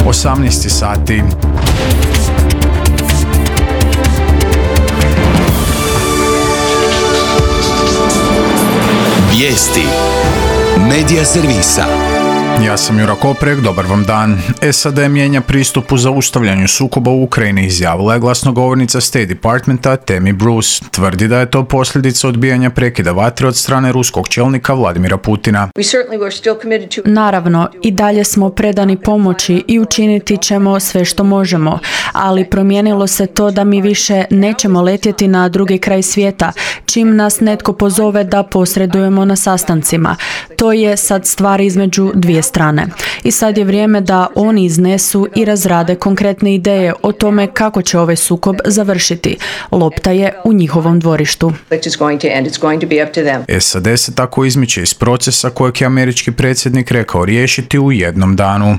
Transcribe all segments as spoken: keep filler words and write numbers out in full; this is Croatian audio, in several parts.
osamnaest sati. Vijesti Medija servisa. Ja sam Jura Koprek, dobar vam dan. S A D mijenja pristup u zaustavljanju sukoba u Ukrajini, izjavila je glasnogovornica State Departmenta Tammy Bruce. Tvrdi da je to posljedica odbijanja prekida vatre od strane ruskog čelnika Vladimira Putina. Naravno, i dalje smo predani pomoći i učiniti ćemo sve što možemo, ali promijenilo se to da mi više nećemo letjeti na drugi kraj svijeta, čim nas netko pozove da posredujemo na sastancima. To je sad stvar između dvije strane. I sad je vrijeme da oni iznesu i razrade konkretne ideje o tome kako će ovaj sukob završiti. Lopta je u njihovom dvorištu. S A D se tako izmiče iz procesa kojeg je američki predsjednik rekao riješiti u jednom danu.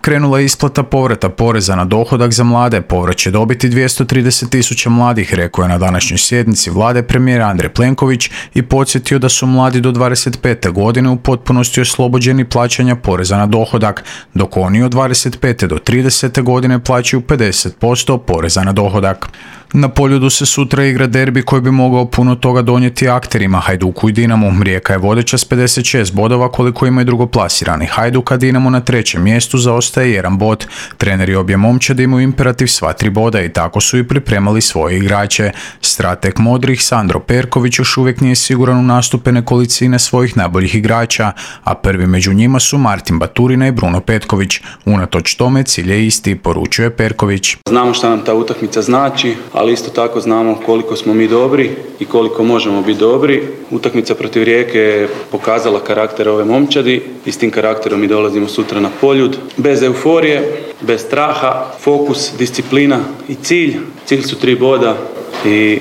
Krenula je isplata povrata poreza na dohodak za mlade. Povrat će dobiti dvjesto trideset tisuća mladih, rekao je na današnjoj sjednici vlade premijer Andrej Plenković i podsjetio da su mladi do dvadeset pete godine u potpunosti oslobođeni plaćanja poreza na dohodak, dok oni od dvadeset pete do tridesete godine plaćaju pedeset posto poreza na dohodak. Na Poljudu se sutra igra derbi koji bi mogao puno toga donijeti akterima Hajduku i Dinamu. Rijeka je vodeća s pedeset šest bodova koliko ima i drugoplasirani Hajduk, a Dinamo na trećem mjestu zaostaje jedan bod. Treneri obje momčadi imaju imperativ sva tri boda i tako su i pripremali svoje igrače. Strateg modrih Sandro Perković još uvijek nije siguran u nastupe nekolicine svojih najboljih igrača, a prvi među njima su Martin Baturina i Bruno Petković. Unatoč tome cilj je isti, poručuje Perković. Znamo šta nam ta utakmica znači, ali isto tako znamo koliko smo mi dobri i koliko možemo biti dobri. Utakmica protiv Rijeke je pokazala karakter ove momčadi i s tim karakterom mi dolazimo sutra na Poljud. Bez euforije, bez straha, fokus, disciplina i cilj. Cilj su tri boda i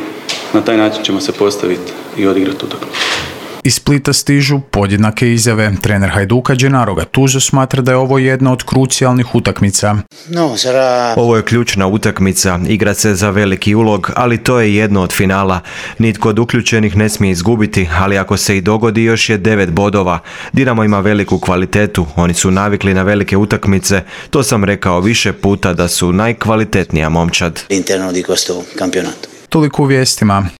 na taj način ćemo se postaviti i odigrati utakmicu. Iz Splita stižu podjednake izjave. Trener Hajduka Gennaro Gattuso smatra da je ovo jedna od krucijalnih utakmica. Ovo je ključna utakmica, igra se za veliki ulog, ali to je jedno od finala. Nitko od uključenih ne smije izgubiti, ali ako se i dogodi još je devet bodova. Dinamo ima veliku kvalitetu, oni su navikli na velike utakmice, to sam rekao više puta da su najkvalitetnija momčad. Toliko u vijestima.